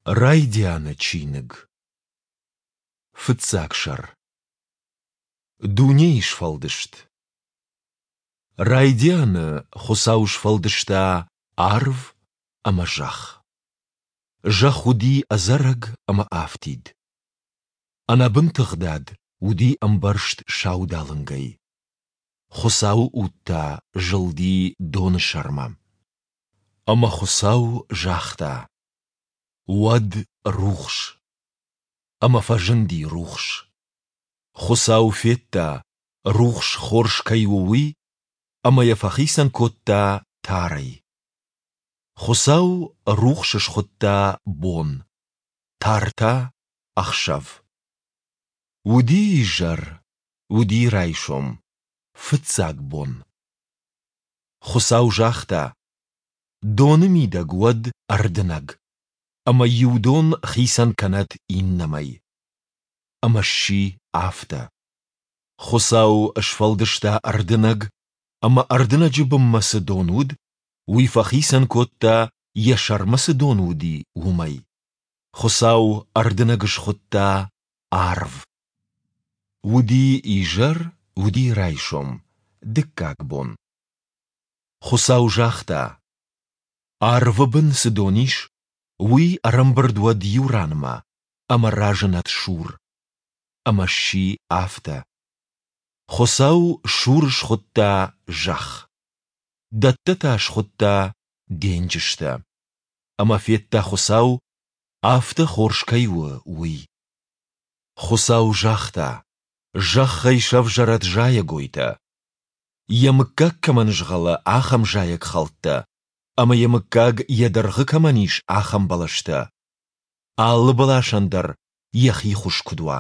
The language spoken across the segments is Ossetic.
Райдианы чиныг. Фыццаг сӕр. Дунейы сфӕлдыст. Райдианы Хуыцау сфӕлдыста арв ӕмӕ зӕхх. Зӕхх уыди ӕдзӕрӕг ӕмӕ афтид. Ӕнӕбын тыгъдад уыди ӕмбӕрзт саудалынгӕй. Хуыцауы уд та зылди доны сӕрмӕ. Ӕмӕ Хуыцау загъта: Уӕд рухс. Ӕмӕ фӕзынди рухс. Хуыцау федта, рухс хорз кӕй у, уый, ӕмӕ йӕ фӕхицӕн кодта тарӕй. Хуыцау рухс схуыдта бон, тар та ӕхсӕв. Уыди изӕр, уыди райсом, фыццаг бон. Хуыцау загъта: Доны мидӕг уӕд ӕрдынӕг, ӕмӕ иу дон хицӕн кӕнӕд иннӕмӕй. Ӕмӕ сси афтӕ. Хуыцау сфӕлдыста ӕрдынӕг, ӕмӕ ӕрдынӕджы бынмӕ цы дон уыд, уый фӕхицӕн кодта, йӕ сӕрмӕ цы дон уыди, уымӕй. Хуыцау ӕрдынӕг схуыдта арв. Уыди изӕр, уыди райсом, дыккаг бон. Хуыцау загъта: Арвы бын цы дон ис, уый ӕрӕмбырд уӕд иу ранмӕ ӕмӕ разынӕд сур. Ӕмӕ сси афтӕ. Хуыцау сур схуыдта зӕхх. Дӕттӕ та схуыдта денджызтӕ. Ӕмӕ федта Хуыцау, афтӕ хорз кӕй у, уый. Хуыцау загъта: Зӕххӕй сӕвзӕрӕд зайӕгойтӕ, йӕ мыггаг кӕмӕн згъӕлы, ахӕм зайӕгхӕлттӕ, ӕмӕ йӕ мыггаг йӕ дыргъы кӕмӕн ис, ахӕм бӕлӕстӕ. Алы бӕласӕн дӕр йӕхи хуыз куыд уа.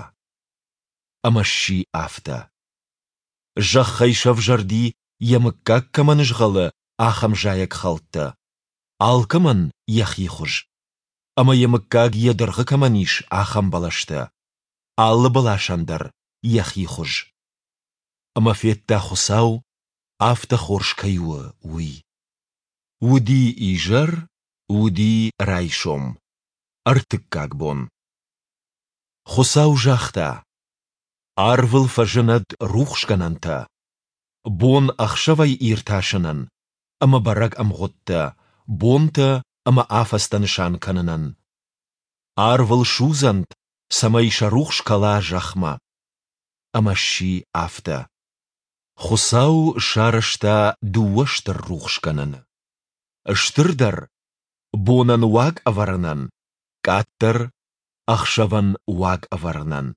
Ӕмӕ сси афтӕ. Зӕххӕй сӕвзӕрди, йӕ мыггаг кӕмӕн згъӕлы, ахӕм зайӕгхӕлттӕ. Алкӕмӕн йӕхи хуыз. Ӕмӕ йӕ мыггаг йӕ дыргъы кӕмӕн ис, ахӕм бӕлӕстӕ. Алы бӕласӕн дӕр йӕхи хуыз. Ӕмӕ федта Хуыцау, афтӕ хорз кӕй у, уый. Уыди изӕр, уыди райсом, ӕртыккаг бон. Хуыцау загъта: Арвыл фӕзынӕд рухсгӕнӕнтӕ, бон ӕхсӕвӕй иртасынӕн ӕмӕ бӕрӕг ӕмгъуыдтӕ, бонтӕ ӕмӕ афӕдзтӕ нысан кӕнынӕн. Арвыл судзӕнт, цӕмӕй сӕ рухс кӕла зӕхмӕ. Ӕмӕ сси афтӕ. Хуыцау сарӕзта дыууӕ стыр рухсгӕнӕны. Стырдӕр — бонӕн уаг ӕвӕрынӕн, къаддӕр — ӕхсӕвӕн уаг ӕвӕрынӕн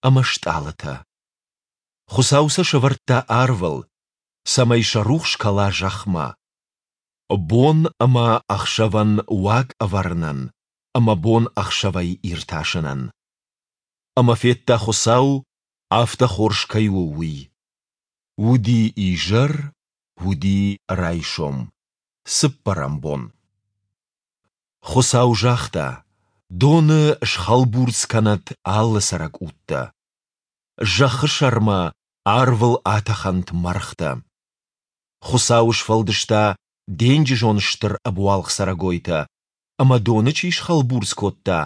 ӕмӕ стъалытӕ. Хуыцау сӕ сӕвӕрдта арвыл, цӕмӕй сӕ рухс кӕла зӕхмӕ. Бон ӕмӕ ӕхсӕвӕн уаг ӕвӕрынӕн ӕмӕ бон ӕхсӕвӕй иртасынӕн. Ӕмӕ федта Хуыцау, афтӕ хорз кӕй у, уый. Уыди изӕр, уыди райсом, цыппӕрӕм бон. Хуыцау загъта, Доны схӕлбурцъ кӕнӕд алы цӕрӕг удтӕ. Зӕххы сӕрмӕ арвыл атӕхӕнт мӕргътӕ. Хуыцау сфӕлдыста денджызон стыр ӕбуалгъ цӕрӕгойтӕ ӕмӕ доны чи схӕлбурцъ кодта,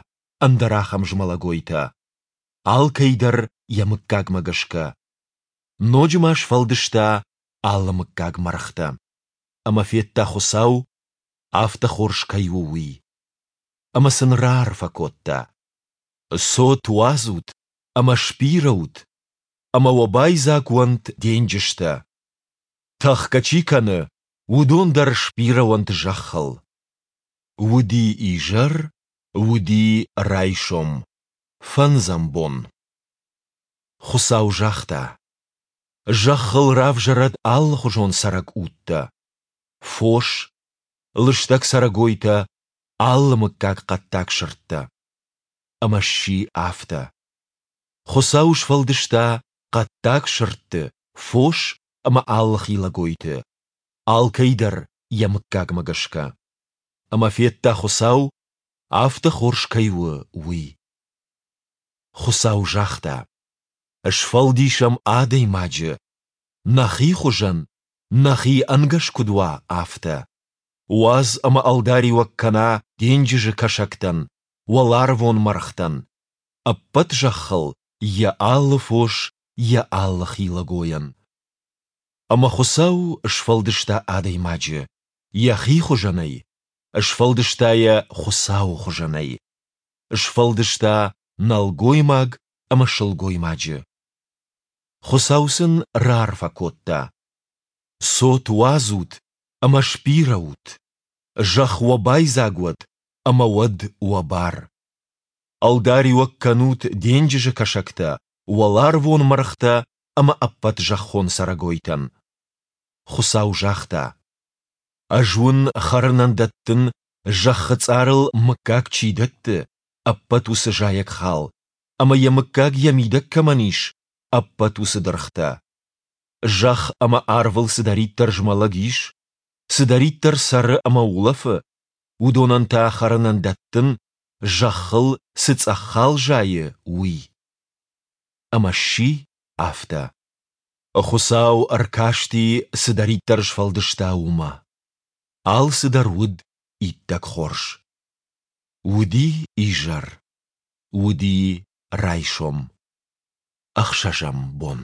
ӕндӕр ахӕм змӕлӕгойтӕ. Алкӕй дӕр йӕ мыггагмӕ гӕсгӕ. Ноджы ма сфӕлдыста алы мыггаг мӕргътӕ. Ӕмӕ федта Хуыцау, афтӕ хорз кӕй у, уый. Ӕмӕ сын раарфӕ кодта. Цот уадзут ӕмӕ сбирӕ ут, ӕмӕ уӕ байдзаг уӕнт денджызтӕ. Тӕхгӕ чи кӕны, уыдон дӕр сбирӕ уӕнт зӕххыл. Уыди изӕр, уыди райсом, фӕндзӕм бон. Хуыцау загъта: Зӕххыл равзӕрӕд алыхуызон цӕрӕг удтӕ, фос, лыстӕг цӕрӕгойтӕ, алы мыггаг хъӕддаг сырдтӕ. Ӕмӕ сси афтӕ. Хуыцау сфӕлдыста хъӕддаг сырдты, фос ӕмӕ алы хилӕгойты, алкӕй дӕр йӕ мыггагмӕ гӕсгӕ. Ӕмӕ федта Хуыцау, афтӕ хорз кӕй у, уый. Хуыцау загъта: Сфӕлдисӕм адӕймаджы, нӕхи хуызӕн, нӕхи ӕнгӕс куыд уа, афтӕ. Уадз ӕмӕ ӕлдариуӕг кӕна денджызы кӕсӕгтӕн, уӕларвон мӕргътӕн, ӕппӕт зӕххыл йӕ алы фос, йӕ алы хилӕгойӕн. Ӕмӕ Хуыцау сфӕлдыста адӕймаджы йӕхи хуызӕнӕй, сфӕлдыста йӕ Хуыцауы хуызӕнӕй. Сфӕлдыста нӕлгоймаг ӕмӕ сылгоймаджы. Хуыцау сын раарфӕ кодта: Цот уадзут ӕмӕ сбирӕ ут, зӕхх уӕ байдзаг уӕд ӕмӕ уӕд уӕ бар. Ӕлдариуӕг кӕнут денджызы кӕсӕгтӕ, уӕларвон мӕргътӕ ӕмӕ ӕппӕт зӕххон цӕрӕгойтӕн. Хуыцау загъта: Ӕз уын хӕрынӕн дӕттын, зӕххы цъарыл мыггаг чи дӕтты, ӕппӕт уыцы зайӕгхал, ӕмӕ йӕ мыггаг йӕ мидӕг кӕмӕн ис, ӕппӕт уыцы дыргътӕ. Зӕхх ӕмӕ арвыл цыдӕриддӕр змӕлӕг ис, цыдӕриддӕр цӕры ӕмӕ улӕфы, уыдонӕн та хӕрынӕн дӕттын, зӕххыл цы цъӕх хал зайы, уый. Ӕмӕ сси афтӕ. Хуыцау ӕркасти, цыдӕриддӕр сфӕлдыста, уымӕ. Алцыдӕр уыд иттӕг хорз. Уыди изӕр, уыди райсом. Ӕхсӕзӕм бон.